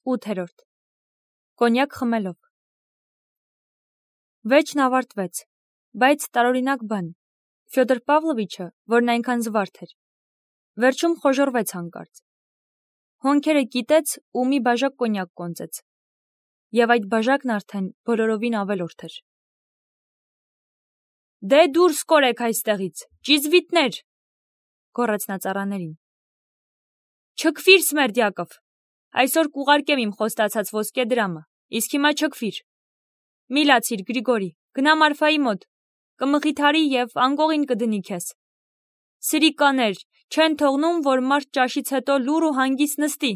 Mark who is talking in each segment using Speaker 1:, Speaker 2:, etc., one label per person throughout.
Speaker 1: 8. Կոնյակ խմելով։ Վեճն ավարտվեց, բայց տարօրինակ բան, Ֆյոդոր Պավլովիչը, որն այնքան զվարթ էր, վերջում խոժոռվեց հանկարծ։ Հոնքերը կիտեց ու մի բաժակ կոնյակ կոնծեց, և այդ բաժակն արդեն բոլորովին ավելորդ էր։ «Դե դուրս կորեք այստեղից, ճիզվիտներ», գոռաց նա ծառաներին։ «Չքվիր, Սմերդյակով, այսօր կուղարկեմ իմ խոստացած ոսկե դրամը, իսկ հիմա չքվիր։ Մի լացիր, Գրիգորի, գնա Մարֆայի մոտ, կմխիթարի և անկողին կդնի քեզ։ Սրիկաներ, չեն թողնում, որ մարդ ճաշից հետո լուռ ու հանգիստ նստի»։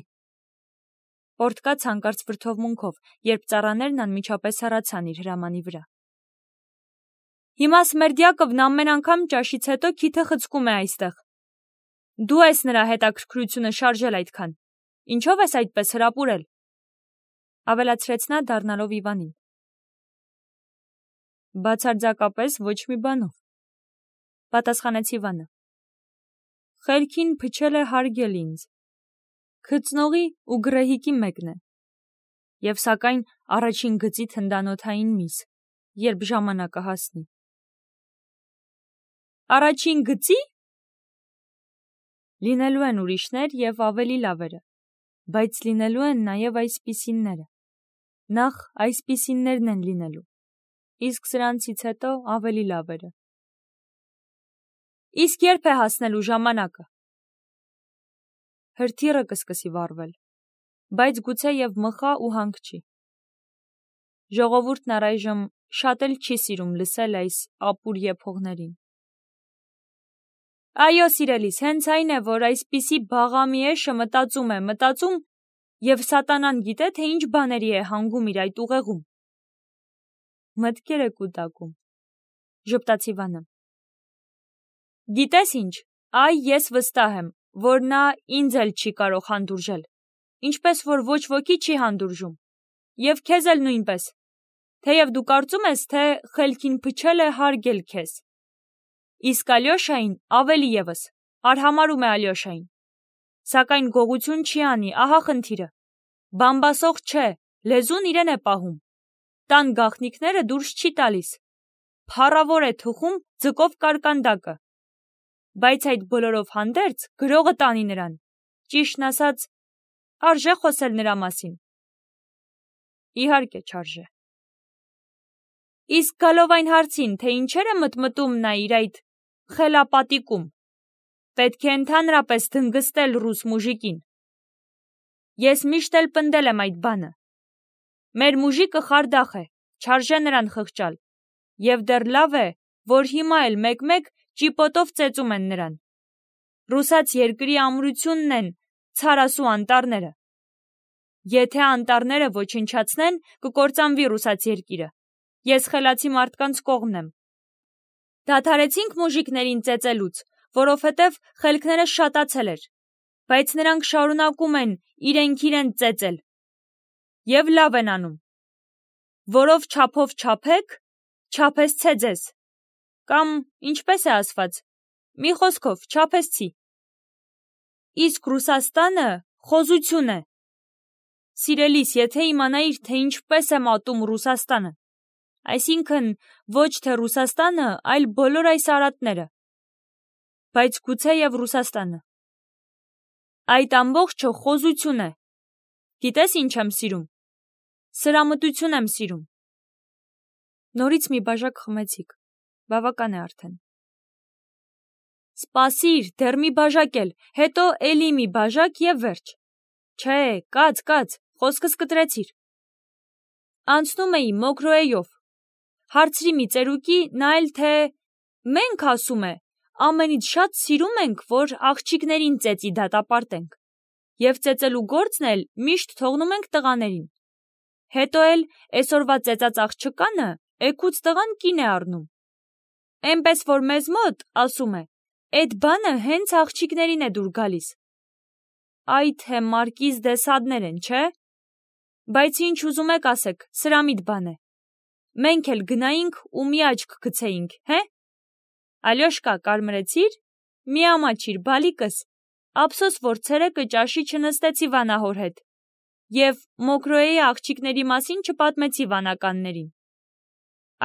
Speaker 1: Պորտկաց հանկարծ վրդովմունքով, երբ ծառաներն անմիջապես հեռացան իր հրամանի վրա։ «Հիմա Սմերդյակովն ամեն անգամ ճաշից հետո քիթը խցկում է այստեղ։ Դու ես նրա հետաքրքրությունը շարժել այդքան, ինչով ես այդպես հրապուրել», ավելացրեց նա, դառնալով Իվանին։ «Բացարձակապես ոչ մի բանով», պատասխանեց Իվանը։ «Խելքին փչել է հարգել ինձ, քծնողի ու գռեհիկի մեկն է, և սակայն առաջին գծի թնդանոթային միս, երբ ժամանակը հասնի»։ «Առաջին գծի՞։ Լինելու են ուրիշներ և ավելի լավերը, բայց լինելու են նաև այսպիսինները։ Նախ այսպիսիններն են լինելու, իսկ սրանցից հետո ավելի լավերը»։ «Իսկ երբ է հասնելու ժամանակը»։ Հրթիռը կսկսի վառվել, բայց գուցե և մխա ու հանգչի։ Ժողովուրդն առայժմ շատ էլ չի սիրում լսել այս ապուր եփողներին։ Այո, սիրելիս, հենց այն է, որ այսպիսի բաղամի էշը մտածում և սատանան գիտե, թե ինչ բաների է հանգում իր այդ ուղեղում։ Մտքեր է կուտակում, ժպտաց Իվանը։ Գիտես ինչ, այ ես վստահ եմ, որ նա ինձ էլ չի կարող հանդուրժել, ինչպես որ ոչ ոքի չի հանդուրժում, և քեզ էլ նույնպես, թեև դու կարծում ես, թե խելքին փչել է հարգել քեզ։ Իսկ Ալյոշային ավելի ևս, արհամարհում է Ալյոշային, սակայն գողություն չի անի, ահա խնդիրը, բամբասող չէ, լեզուն իրեն է պահում, տան գաղտնիքները դուրս չի տալիս, փառավոր է թխում ձկով կարկանդակը, բայց այդ բոլորով հանդերձ գրողը տանի նրան, ճիշտն ասած, արժե խոսել նրա մասին։ Իհարկե չարժե։ Իսկ գալով այն հարցին, թե ինչեր է մտմտում նա իր այդ խելապատիկում, պետք է ընդհանրապես դնգստել ռուս մուժիկին։ Ես միշտ էլ պնդել եմ այդ բանը։ Մեր մուժիկը խարդախ է, չարժե նրան խղճալ, և դեռ լավ է, որ հիմա էլ մեկ-մեկ ճիպոտով ծեծում են նրան։ Ռուսաց երկրի ամրությունն են ցարասու անտառները։ Եթե անտառները ոչնչացնեն, կկործանվի ռուսաց երկիրը։ Ես խելացի մարդկանց կողմն եմ։ Դադարեցինք մուժիկներին ծեծելուց, որովհետև խելքները շատացել էր, բայց նրանք շարունակում են իրենք ծեծել։ Եվ լավ են անում։ Որով չափով չափեք, չափեսցե ձեզ։ Կամ ինչպես է ասված, մի խոսքով չափեսցի։ Իսկ Ռուսաստանը խոզություն է։ Սիրելիս, եթե իմանայիր, թե ինչպես է մատում Ռուսաստանը, այսինքն ոչ թե Ռուսաստանը, այլ բոլոր այս արատները, բայց գուցե և Ռուսաստանը։ Այդ ամբողջը խոզություն է։ Գիտես ինչ եմ սիրում։ Սրամտություն եմ սիրում։ Նորից մի բաժակ խմեցիք, բավական է արդեն։ Սպասիր, դեռ մի բաժակ էլ, հետո էլի մի բաժակ և վերջ։ Չէ, կաց, խոսքս կտրեցիր։ Անցնում էի Մոկրոեյով։ Հարցրի մի ծերուկի, նա էլ թե մենք, ասում է, ամենից շատ սիրում ենք, որ աղջիկներին ծեծի դատապարտենք, և ծեծելու գործն էլ միշտ թողնում ենք տղաներին։ Հետո էլ էսօրվա ծեծած աղջկանը էգուց տղան կին է առնում։ Էնպես որ մեզ մոտ, ասում է, էդ բանը հենց աղջիկներին է դուր գալիս։ Այ թե Մարկիզ դե Սադներ են, չէ՞։ Բայց ինչ ուզում եք ասեք, սրամիտ բան է։ Մենք էլ գնայինք ու մի աչք գցեինք, հե՞։ Ալյոշկա, կարմրեցի՞ր։ Մի ամաչիր, բալիկս, ափսոս, որ ցերեկը ճաշի չնստեցի Վանահոր հետ։ և Մոկրոյի աղջիկների մասին չպատմեցի վանականներին։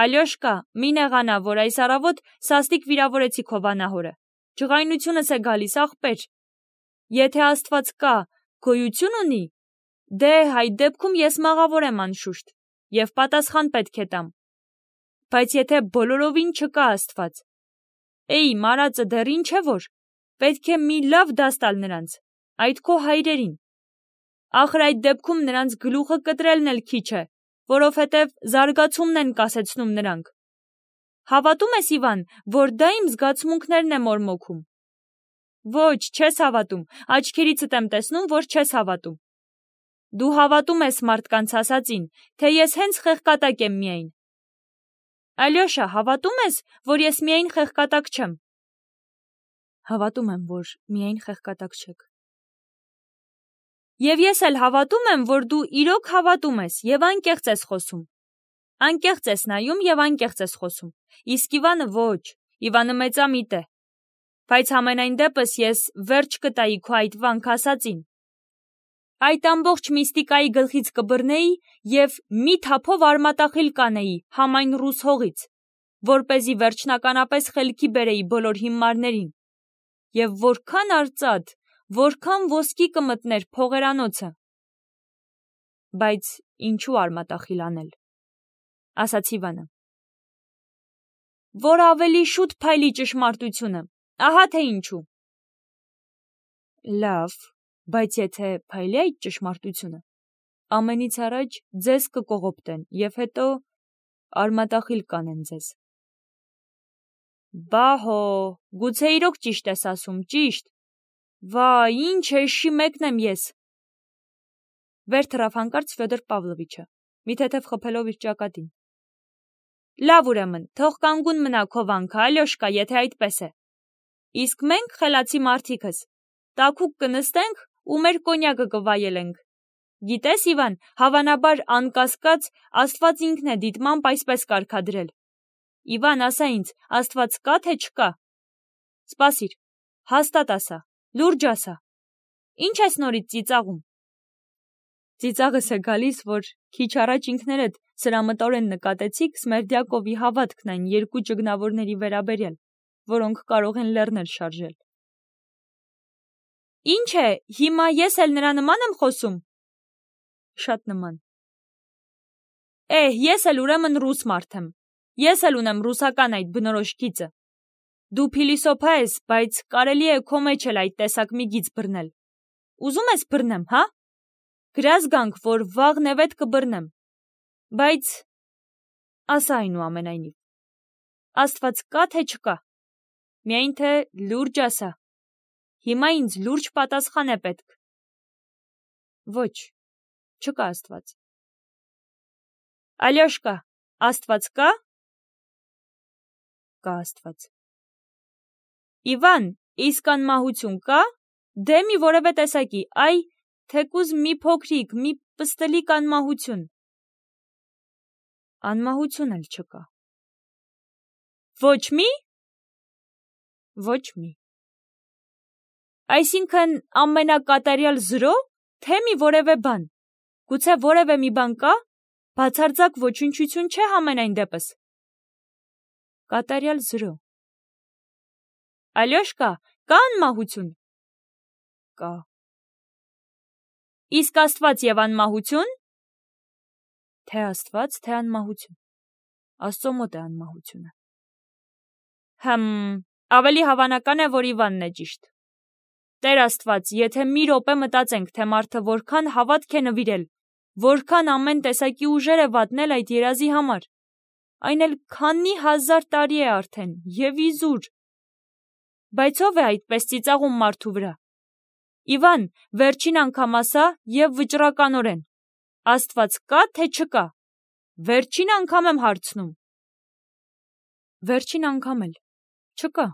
Speaker 1: Ալյոշկա, մի նեղանա, որ այս առավոտ սաստիկ վիրավորեցի քո վանահորը։ Ջղայնությունս է գալիս, աղբեր։ Եթե Աստված կա, գոյություն ունի, դե այդ դեպքում ես մաղավոր եմ անշուշտ, և պատասխան պետք է տամ։ Բայց եթե բոլորովին չկա Աստված, էй, մարածը դեռ ինչ է որ, պետք է մի լավ դաս տալ նրանց, այդ քո հայրերին։ Ախր այդ դեպքում նրանց գլուխը կտրելն էլ քիչ է, որովհետև զարգացումն են կասեցնում նրանք։ Հավատում ես, Իվան, որ դա իմ զգացմունքներն է մորմոքում։ Ոչ, չես հավատում, աչքերիցդ եմ տեսնում, որ չես հավատում։ Դու հավատում ես մարդկանց ասածին, թե ես հենց խեղկատակ եմ միայն։ Ալյոշա, հավատում ես, որ ես միայն խեղկատակ չեմ։ Հավատում եմ, որ միայն խեղկատակ չեք։ Եվ ես էլ հավատում եմ, որ դու իրոք հավատում ես և անկեղծ ես խոսում։ Անկեղծ ես նայում և անկեղծ ես խոսում։ Իսկ Իվանը ոչ, Իվանը մեծամիտ է։ Բայց համենայն դեպս ես վերջ կտայի քո այդ վանք ասածին։ Այդ ամբողջ միստիկայի գլխից կբռնեի և մի թափով արմատախիլ կանեի համայն ռուս հողից, որպեսզի վերջնականապես խելքի բերեի բոլոր հիմարներին։ Եվ որքան արծաթ, որքան ոսկի կմտներ փողերանոցը։ Բայց ինչու արմատախիլ անել, ասաց Իվանը։ Որ ավելի շուտ փայլի ճշմարտությունը, ահա թե ինչու։ Լավ, բայց եթե փայլի այդ ճշմարտությունը, ամենից առաջ ձեզ կկողոպտեն և հետո արմատախիլ կանեն ձեզ։ Բահո, գուցե իրոք ճիշտ ես ասում, ճիշտ։ Վայ, ինչ էշի մեկն եմ ես։ Վեր թռավ հանկարծ Ֆյոդոր Պավլովիչը, մի թեթև խփելով իր ճակատին։ Լավ ուրեմն, թող կանգուն մնա քո վանքը, Ալյոշկա, եթե այդպես է։ Իսկ մենք, խելացի մարդիկս, տաքուկ կնստենք ու մեր կոնյակը կվայելենք։ Գիտես, Իվան, հավանաբար անկասկած Աստված ինքն է դիտմամբ այսպես կարգադրել։ Իվան, ասա ինձ, Աստված կա թե չկա։ Սպասիր, հաստատ ասա, լուրջ ասա։ Ինչ ես նորից ծիծաղում։ Ծիծաղս է գալիս, որ քիչ առաջ ինքներդ սրամտորեն նկատեցիք Սմերդյակովի հավատքն այն երկու ճգնավորների վերաբերյալ, որոնք կարող են լեռներ շարժել։ Ինչ է, հիմա ես էլ նրա նման եմ խոսում։ Շատ նման։ Ես էլ ուրեմն ռուս մարդ եմ։ Ես էլ ունեմ ռուսական այդ բնորոշ գիծը։ Դու փիլիսոփա ես, բայց կարելի է քո մեջ էլ այդ տեսակ մի գիծ բռնել։ Ուզում ես բռնեմ, հա։ Գրազ գանք, որ վաղ նևետ կբռնեմ։ Բայց ասա այնուամենայնիվ, Աստված կա թե չկա։ Միայն թե լուրջ ասա։ Հիմա ինձ լուրջ պատասխան է պետք։ Ոչ, չկա Աստված։ Ալյոշկա, Աստված կա։ Կա Աստված։ Իվան, իսկ անմահություն կա։ Դե մի որևէ տեսակի, այ, թեկուզ մի փոքրիկ, մի պստլիկ անմահություն։ Անմահություն էլ չկա։ Ոչ մի։ Ոչ մի։ Այսինքն ամենակատարյալ զրո, թե մի որևէ բան։ Գուցե որևէ մի բան կա, բացարձակ ոչնչություն չէ համենայն դեպս։ Կատարյալ զրո։ Ալյոշկա, կա անմահություն։ Կա։ Իսկ Աստված և անմահություն։ Թե Աստված, թե անմահություն։ Աստծո մոտ է անմահությունը։ Ավելի հավանական է, որ Իվանն է ճիշտ։ Տեր Աստված, եթե մի րոպե մտածենք, թե մարդը որքան հավատք է նվիրել, որքան ամեն տեսակի ուժեր է վատնել այդ երազի համար, այն էլ քանի հազար տարի է արդեն, և իզուր։ Բայց ով է այդպես ծիծաղում մարդու վրա։ Իվան, վերջին անգամ ասա և վճռականորեն, Աստված կա թե չկա։ Վերջին անգամ եմ հարցնում։ Վերջին անգամ էլ չկա։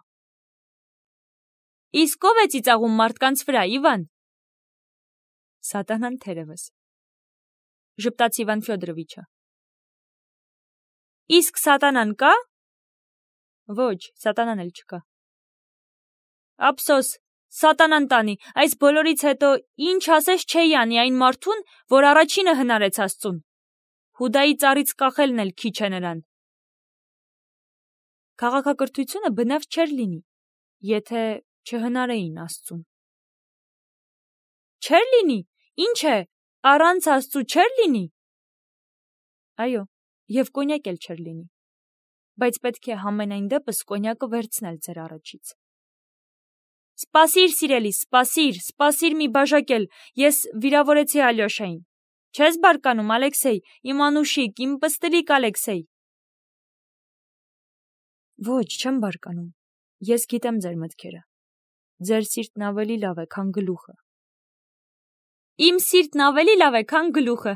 Speaker 1: Իսկ ով է ծիծաղում մարդկանց վրա, Իվան։ Սատանան թերևս, ժպտաց Իվան Ֆյոդորովիչը։ Իսկ սատանան կա։ Ոչ, սատանան էլ չկա։ Ափսոս, Սատանան տանի, այս բոլորից հետո ինչ ասես չէի անի այն մարդուն, որ առաջինը հնարեց Աստծուն։ Հուդայի ծառից կախելն էլ քիչ է նրան։ Քաղաքակրթությունը բնավ չէր լինի, եթե չհնարեին Աստծուն։ Չէր լինի, ինչ է, առանց Աստծու չէր լինի։ Այո, եւ կոնյակ էլ չէր լինի, բայց պետք է համենայն դեպս կոնյակը վերցնել ձեր առաջից։ Սպասիր, սիրելիս, սպասիր մի բաժակել, ես վիրավորեցի Ալյոշային։ Չես բարկանում, Ալեքսեյ, իմ անուշիկ, իմ պստլիկ Ալեքսեյ։ Ոչ, չեմ բարկանում, ես գիտեմ ձեր մտքերը, ձեր սիրտն ավելի լավ է, քան գլուխը։ Իմ սիրտն ավելի լավ է, քան գլուխը,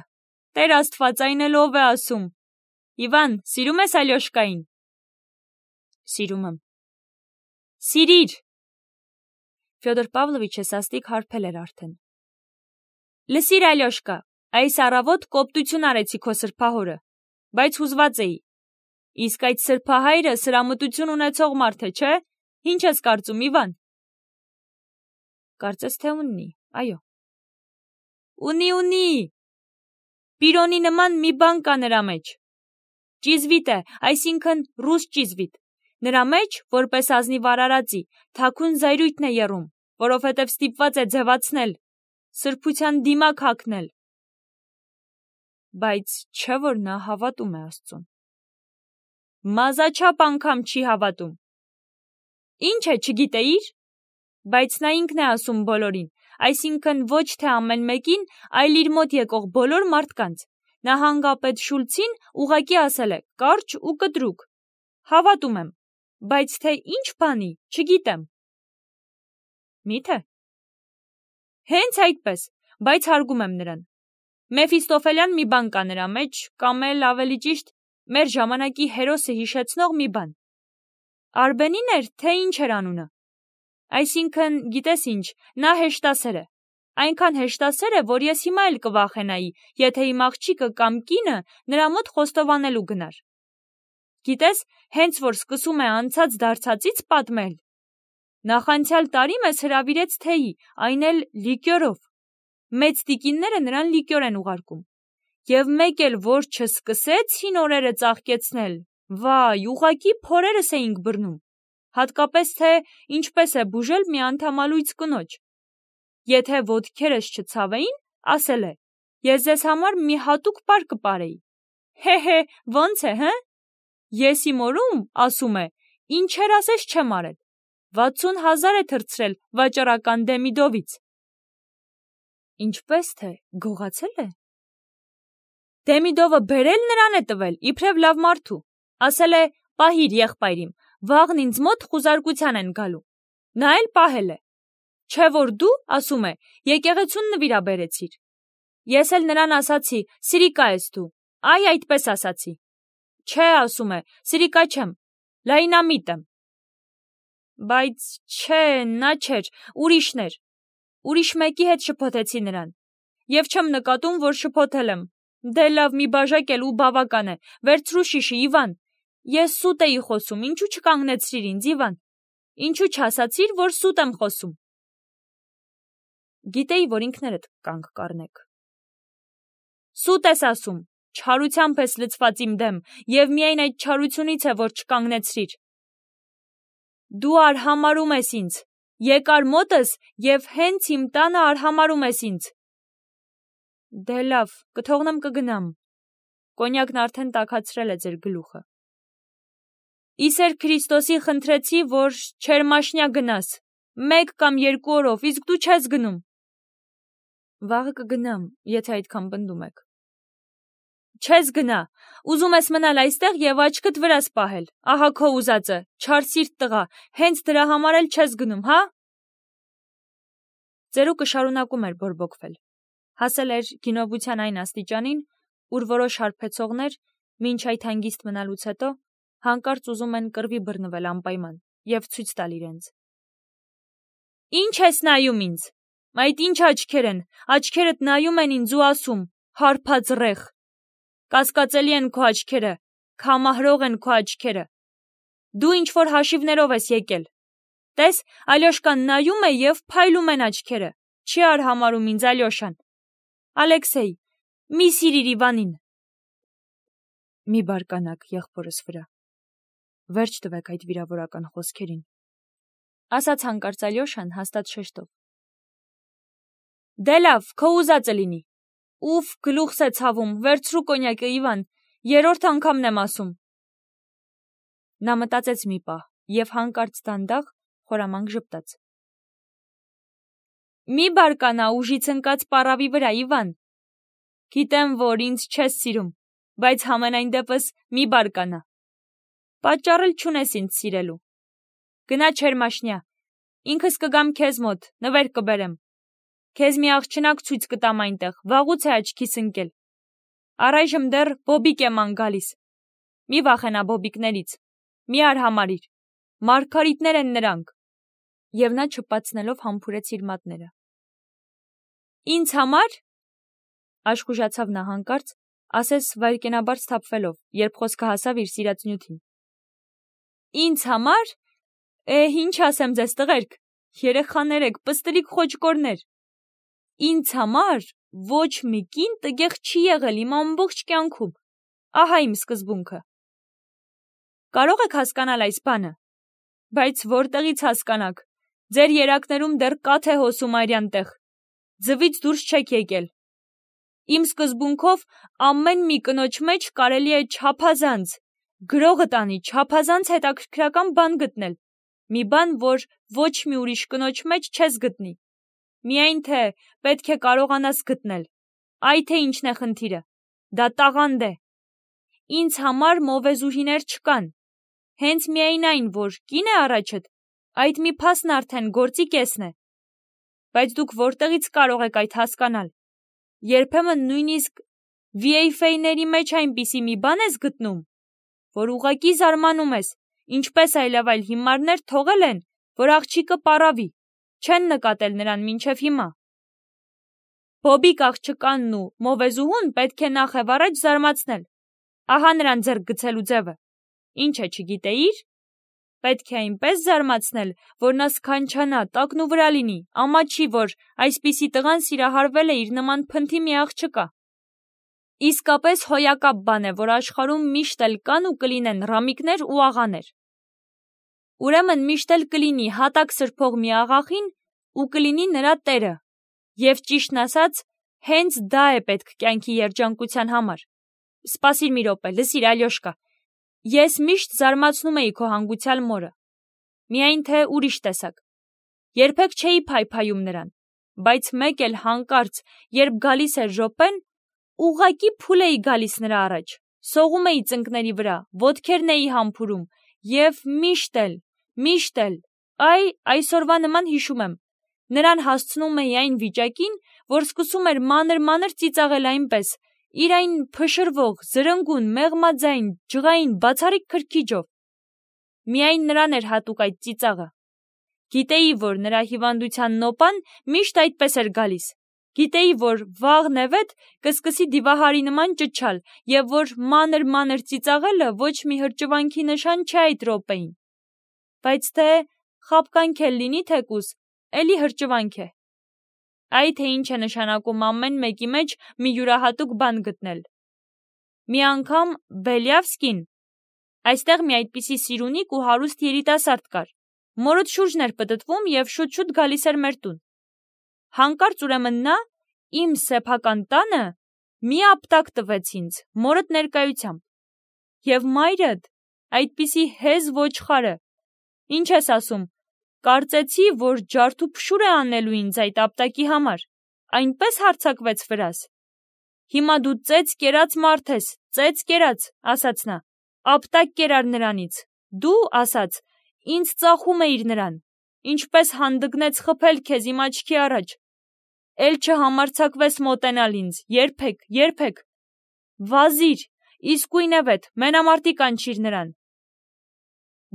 Speaker 1: Տեր Աստված, այն էլ ով է ասում։ Իվան, սիրում ես Ալյոշկային։ Սիրում եմ։ Սիրիր։ Ֆյոդոր Պավլովիչը սաստիկ հարբել էր արդեն։ Լսիր, Ալյոշկա, այս առավոտ կոպտություն արեցի քո սրբահորը, բայց հուզված էի։ Իսկ այդ սրբահայրը սրամտություն ունեցող մարդ է, չէ՞։ Ինչ ես կարծում, Իվան։ Կարծես թե ունի, այո։ Ունի։ Պիրոնի նման մի բան կա նրա մեջ։ Ճիզվիտ է, այսինքն ռուս ճիզվիտ։ Նրա մեջ, որպես ազնիվ արարածի, թաքուն զայրույթն է եռում, որովհետև ստիպված է ձևացնել, սրբության դիմակ հագնել։ Բայց չէ՞ որ նա հավատում է Աստծուն։ Մազաչափ անգամ չի հավատում։ Ինչ է, չգիտեիր։ Բայց նա ինքն է ասում բոլորին, այսինքն ոչ թե ամեն մեկին, այլ իր մոտ եկող բոլոր մարդկանց։ Նահանգապետ Շուլցին ուղղակի ասել է, կարճ ու կտրուկ. հավատում եմ, բայց թե ինչ բանի, չգիտեմ։ Մի՞թե։ Հենց այդպես, բայց հարգում եմ նրան։ Մեֆիստոֆելյան մի բան կա նրա մեջ, կամ էլ ավելի ճիշտ, մեր ժամանակի հերոսը հիշեցնող մի բան։ Արբենին էր, թե ինչ էր անունը։ Այսինքն, գիտես ինչ, նա հեշտասեր է։ Այնքան հեշտասեր է, որ ես հիմա էլ կվախենայի, եթե իմ աղջիկը կամ կինը նրա մոտ խոստովանելու գնար։ Գիտես, հենց որ սկսում է անցած դարձածից պատմել։ Նախանցյալ տարի մեզ հրավիրեց թեյի, այն էլ լիկյորով։ Մեծ տիկինները նրան լիկյոր են ուղարկում։ Եվ մեկ էլ որ չսկսեց հին օրերը ծաղկեցնել, վայ, ուղղակի փորերս էինք բռնում։ Հատկապես թե ինչպես է բուժել մի անդամալույց կնոջ։ Եթե ոտքերս չցավեին, ասել է, ես ձեզ համար մի հատուկ պար կպարեի։ Հե, ո՞նց է, հը։ Ես իմ օրում, ասում է, ինչեր ասես չեմ արել։ 60,000 է թրցրել վաճառական Դեմիդովից։ Ինչպես թե, գողացել է։ Դեմիդովը բերել նրան է տվել, իբրև լավ մարդու։ Ասել է, պահիր եղբայրիմ, վաղն ինձ մոտ խուզարկության են գալու։ Նա էլ պահել է։ Չէ որ դու, ասում է, եկեղեցուն նվիրաբերեցիր։ Ես էլ նրան ասացի, սիրիկա ես դու, այ այդպես ասացի։ Չէ, ասում է, սիրիկա չեմ, լայնամիտ եմ։ Բայց չէ, նա չէր, ուրիշն էր։ Ուրիշ մեկի հետ շփոթեցի նրան։ Եվ չեմ նկատում, որ շփոթել եմ։ Դե լավ, մի բաժակ էլ ու բավական է, վերցրու շիշը, Իվան։ Ես սուտ էի խոսում, ինչու չկանգնեցրիր ինձ, Իվան։ Ինչու չասացիր, որ սուտ եմ խոսում։ Գիտեի, որ ինքներդ կանգ կառնեք։ Սուտ ես ասում, չարությամբ ես լցված իմ դեմ, եւ միայն այդ չարությունից է, որ չկանգնեցրիր։ Դու արհամարում ես ինձ, եկար մոտս եւ հենց իմ տանը արհամարում ես ինձ։ Դե լավ, կթողնեմ կգնամ։ Կոնյակն արդեն տաքացրել է ձեր գլուխը։ Իսեր Քրիստոսի խնդրեցի, որ չերմաշնյա գնաս, 1 կամ 2 օրով, իսկ դու չես գնում։ Վաղը կգնամ, եթե այդքան պնդում եք։ Չես գնա, ուզում ես մնալ այստեղ եւ աչքդ վրաս պահել, ահա քո ուզածը, չար սիրտ տղա, հենց դրա համար էլ չես գնում, հա։ Ծերուկը շարունակում էր բորբոքվել, հասել էր գինովության այն աստիճանին, ուր որոշ հարբեցողներ, մինչ այդ հանգիստ մնալուց հետո, հանկարծ ուզում են կռվի բռնվել անպայման եւ ցույց տալ իրենց։ Ինչ ես նայում ինձ։ Այդ ինչ աչքեր են, աչքերդ նայում են ինձ ու ասում, հարբած ռեղ։ Կասկածելի են քո աչքերը, քամահրող են քո աչքերը։ Դու ինչ որ հաշիվներով ես եկել։ Տես, Ալյոշկան նայում է և փայլում են աչքերը, չի արհամարհում ինձ Ալյոշան։ Ալեքսեյ, մի սիրիր Իվանին։ Մի բարկանաք եղբորս վրա, վերջ տվեք այդ վիրավորական խոսքերին, ասաց հանկարծ Ալյոշան հաստատ շեշտով։ Դե լավ, քո ուզածը լինի։ Ուֆ, գլուխս է ցավում, վերցրու կոնյակը Իվան, երրորդ անգամն եմ ասում։ Նա մտածեց մի պահ և հանկարծ դանդաղ խորամանկ ժպտաց։ Մի բարկանա ուժից ընկած պառավի վրա, Իվան։ Գիտեմ, որ ինձ չես սիրում, բայց համենայն դեպս մի բարկանա։ Պատճառ էլ չունես ինձ սիրելու։ Գնա Չերմաշնյա, ինքս կգամ քեզ մոտ, նվեր կբերեմ։ Քեզ մի աղջնակ ցույց կտամ այնտեղ, վաղուց է աչքիս ընկել։ Առայժմ դեռ բոբիկ եմ անգալիս։ Մի վախենա բոբիկներից, մի արհամարհիր, մարգարիտներ են նրանք։ Եվ նա չպացնելով համբուրեց իր մատները։ Ինձ համար, աշխուժացավ նա հանկարծ, ասես վայրկենաբար սթափվելով, երբ խոսքը հասավ իր սիրած նյութին։ Ինձ համար, ինչ ասեմ ձեզ տղերք, երեխաներ եք, պստլիկ խոճկորներ։ Ինձ համար ոչ մի կին տգեղ չի եղել իմ ամբողջ կյանքում, ահա իմ սկզբունքը։ Կարող եք հասկանալ այս բանը, բայց որտեղից հասկանաք, ձեր երակներում դեռ կաթ է հոսում արյան տեղ, ձվից դուրս չեք եկել։ Իմ սկզբունքով ամեն մի կնոջ մեջ կարելի է չափազանց, գրողը տանի չափազանց հետաքրքրական բան գտնել, մի բան, որ ոչ մի ուրիշ կնոջ մեջ չես գտնի։ Միայն թե պետք է կարողանաս գտնել, այ թե ինչն է խնդիրը, դա տաղանդ է։ Ինձ համար մովեզուհիներ չկան, հենց միայն այն, որ կին է առաջդ, այդ մի փաստն արդեն գործի կեսն է։ Բայց դուք որտեղից կարող եք այդ հասկանալ։ Երբեմն նույնիսկ VFA-ների մեջ այնպիսի մի բան ես գտնում, որ ուղղակի զարմանում ես, ինչպես այլևայլ հիմարներ թողել են, որ աղջիկը պառավի, չեն նկատել նրան մինչև հիմա։ Բոբիկ աղջկանն ու մովեզուհուն պետք է նախ եւ առաջ զարմացնել։ Ահա նրան ձեռք գցելու ձևը։ Ինչ է, չգիտեիր։ Պետք է այնպես զարմացնել, որ նա սքանչանա, տակնու վրա լինի, ամաչի, որ այսպիսի տղան սիրահարվել է իր նման փնթի մի աղջկա։ Իսկապես հոյակապ բան է, որ աշխարհում միշտ էլ կան ու կլինեն ռամիկներ ու աղաներ։ Ուրեմն միշտ էլ կլինի հատակ սրբող մի աղախին ու կլինի նրա տերը։ Եվ ճիշտն ասած, հենց դա է պետք կյանքի երջանկության համար։ Սպասիր մի րոպե, լսիր Ալյոշկա, ես միշտ զարմացնում էի քո հանգուցյալ մորը։ Միայն թե ուրիշ տեսակ։ Երբեք չէի փայփայում նրան, բայց մեկ էլ հանկարծ, երբ գալիս էր րոպեն, ուղղակի փուլ էի գալիս նրա առաջ, սողում էի ծնկների վրա, ոտքերն էի համբուրում և միշտ էլ, այսօրվա նման հիշում եմ, նրան հասցնում էի այն վիճակին, որ սկսում էր մանր ծիծաղել այնպես, իր այն փշրվող, զրնգուն, մեղմաձայն, ջղային, բացառիկ քրքիջով։ Միայն նրան էր հատուկ այդ ծիծաղը։ Գիտեի, որ նրա հիվանդության նոպան միշտ այդպես էր գալիս։ Գիտեի, որ վաղ-նևեթ կսկսի դիվահարի նման ճչալ և որ մանր ծիծաղելը ոչ մի հրճվանքի նշան չէ այդ րոպեին։ Բայց թե խաբկանք էլ լինի թեկուզ, էլի հրճվանք է։ Այ թե ինչ է նշանակում ամեն մեկի մեջ մի յուրահատուկ բան գտնել։ Մի անգամ Բելյավսկին, այստեղ մի այդպիսի սիրունիկ ու հարուստ երիտասարդ կար, մորդ շուրջն էր պտտվում և շուտ գալիս էր մեր տուն։ Հանկարծ ուրեմն նա իմ սեփական տանը մի ապտակ տվեց ինձ մորդ ներկայությամբ։ Եվ մայրդ, այդպիսի հեզ ոչխարը, ինչ ես ասում, կարծեցի, որ ջարդու փշուր է անելու ինձ այդ ապտակի համար, այնպես հարձակվեց վրաս։ Հիմա դու ծեծ կերած մարդ ես, ծեծ կերած, ասաց նա, ապտակ կերար նրանից, դու, ասաց, ինձ ծախում էիր նրան, ինչպես հանդգնեց խփել քեզ իմ աչքի առաջ, էլ չհամարձակվես մոտենալ ինձ, երբեք, վազիր, իսկույնևեթ, մենամարտի կանչիր նրան։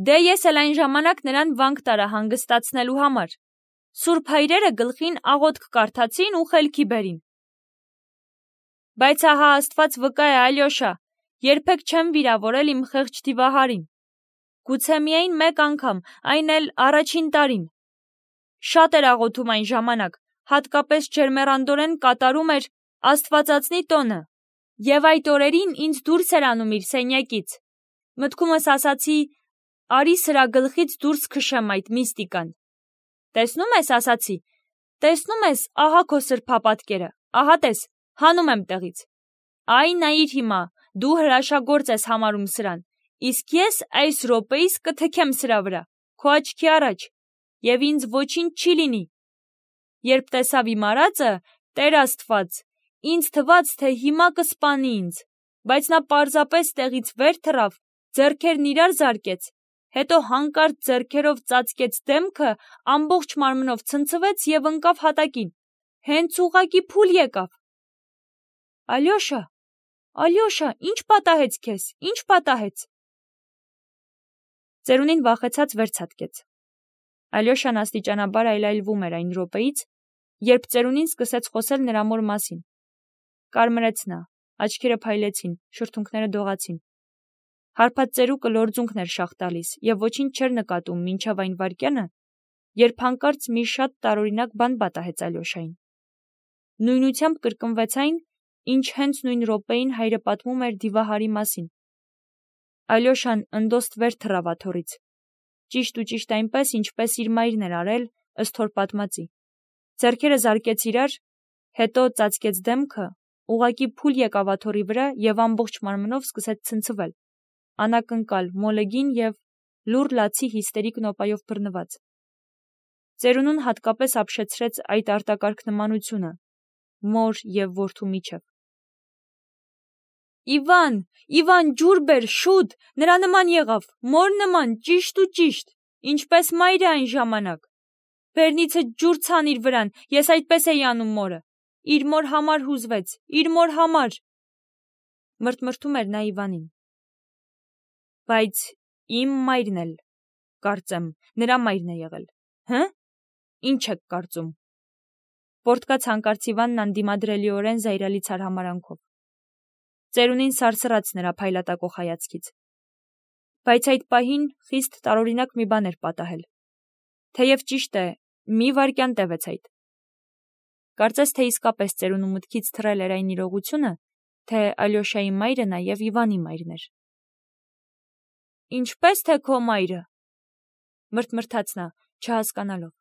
Speaker 1: Դե ես էլ այն ժամանակ նրան վանք տարա հանգստացնելու համար, Սուրբ հայրերը գլխին աղոթք կարդացին ու խելքի բերին։ Բայց ահա Աստված վկա է, Ալյոշա, երբեք չեմ վիրավորել իմ խեղճ դիվահարին։ Գուցե միայն մեկ անգամ, այն էլ առաջին տարին։ Շատ էր աղոթում այն ժամանակ, հատկապես ջերմեռանդորեն կատարում էր Աստվածածնի տոնը, եւ այդ օրերին ինձ դուրս էր անում իր սենյակից։ Մտքումս ասացի, արի սրա գլխից դուրս քշեմ այդ միստիկան։ Տեսնում ես, ասացի, տեսնում ես, ահա քո սրբապատկերը, ահա տես, հանում եմ տեղից։ Այ նայիր հիմա, դու հրաշագործ ես համարում սրան, իսկ ես այս րոպեիս կթքեմ սրա վրա, քո աչքի առաջ, եւ ինձ ոչինչ չի լինի։ Երբ տեսավ իմ արածը, Տեր Աստված, ինձ թվաց, թե հիմա կսպանի ինձ, բայց նա պարզապես տեղից վեր թռավ, ձեռքերն իրար զարկեց, հետո հանկարծ ձեռքերով ծածկեց դեմքը, ամբողջ մարմնով ցնցվեց եւ ընկավ հատակին, հենց ուղղակի փուլ եկավ։ Ալյոշա, ինչ պատահեց քեզ, ինչ պատահեց։ Ծերունին վախեցած վերցատկեց։ Ալյոշան աստիճանաբար այլայլվում էր այն րոպեից, երբ ծերունին սկսեց խոսել նրա մոր մասին։ Կարմրեց նա, աչքերը փայլեցին, շրթունքները դողացին։ Հարբած ծերուկը լորձունքն էր շաղ տալիս եւ ոչինչ չէր նկատում մինչև այն վայրկյանը, երբ հանկարծ մի շատ տարօրինակ բան պատահեց Ալյոշային։ Նույնությամբ կրկնվեց այն, ինչ հենց նույն րոպեին հայրը պատմում էր Դիվահարի մասին։ Ալյոշան ընդոստ վեր թռավ աթոռից, ճիշտ այնպես, ինչպես իր մայրն էր արել, ըստ հոր պատմածի։ Ձեռքերը զարկեց իրար, հետո ծածկեց դեմքը, ուղղակի փուլ եկավ աթոռի վրա եւ ամբողջ մարմնով սկսեց ցնցվել, անակնկալ, մոլեգին եւ լուռ լացի հիստերիկ նոպայով բռնված։ Ծերունուն հատկապես ապշեցրեց այդ արտակարգ նմանությունը մոր եւ որդու միջև։ Իվան, ջուր բեր, շուտ, նրա նման եղավ, մոր նման, ճիշտ, ինչպես մայրը այն ժամանակ։ Բերնիցը ջուր ցանիր վրան, ես այդպես էի անում մորը։ Իր մոր համար հուզվեց, իր մոր համար։ Մրթմրթում էր նա Իվանին։ Բայց իմ մայրն էլ, կարծեմ, նրա մայրն է եղել, հը՞։ Ինչ եք կարծում։ Պորտկաց հանկարծ Իվանն անդիմադրելիորեն զայրալից արհամարանքով։ Ծերունին սարսռաց նրա փայլատակող հայացքից։ Բայց այդ պահին խիստ տարօրինակ մի բան էր պատահել։ Թեև ճիշտ է, մի վայրկյան տևեց այդ։ Կարծես թե իսկապես ծերունու մտքից թռել էր այն իրողությունը, թե Ալյոշայի մայրը նաև Իվանի մայրն էր։ Ինչպես թե քո մայրը, մրթմրթաց նա, չհասկանալով։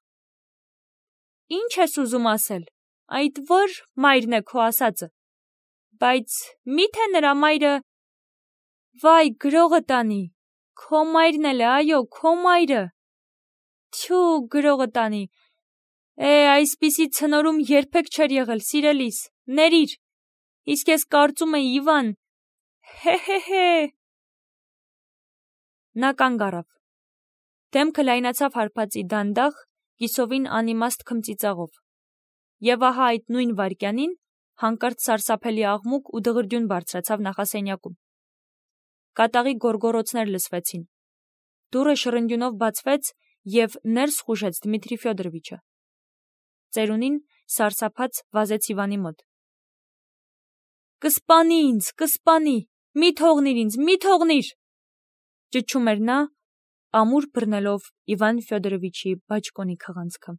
Speaker 1: Ինչ ես ուզում ասել, այդ ո՞ր մայրն է քո ասածը։ Բայց մի՞թե նրա մայրը… Վայ, գրողը տանի, քո մայրն էլ է, այո, քո մայրը։ Թյու, գրողը տանի։ Այսպիսի ցնորում երբեք չէր եղել, սիրելիս, ներիր։ Իսկ ես կարծում էի, Իվան… Հե։ Նա կանգ առավ։ Դեմքը լայնացավ հարբածի դանդաղ, կիսովին անիմաստ քմծիծաղով։ Եվ ահա այդ նույն վայրկյանին հանկարծ սարսափելի աղմուկ ու դղրդյուն բարձրացավ նախասենյակում։ Կատաղի գոռգոռոցներ լսվեցին։ Դուռը շռնդյունով բացվեց եւ ներս խուժեց Դմիտրի Ֆյոդորովիչը։ Ծերունին սարսափած վազեց Իվանի մոտ։ Կսպանի ինձ, մի թողնիր, ճչում էր նա, ամուր բռնելով Իվան Ֆյոդորովիչի բաճկոնի քղանցքը։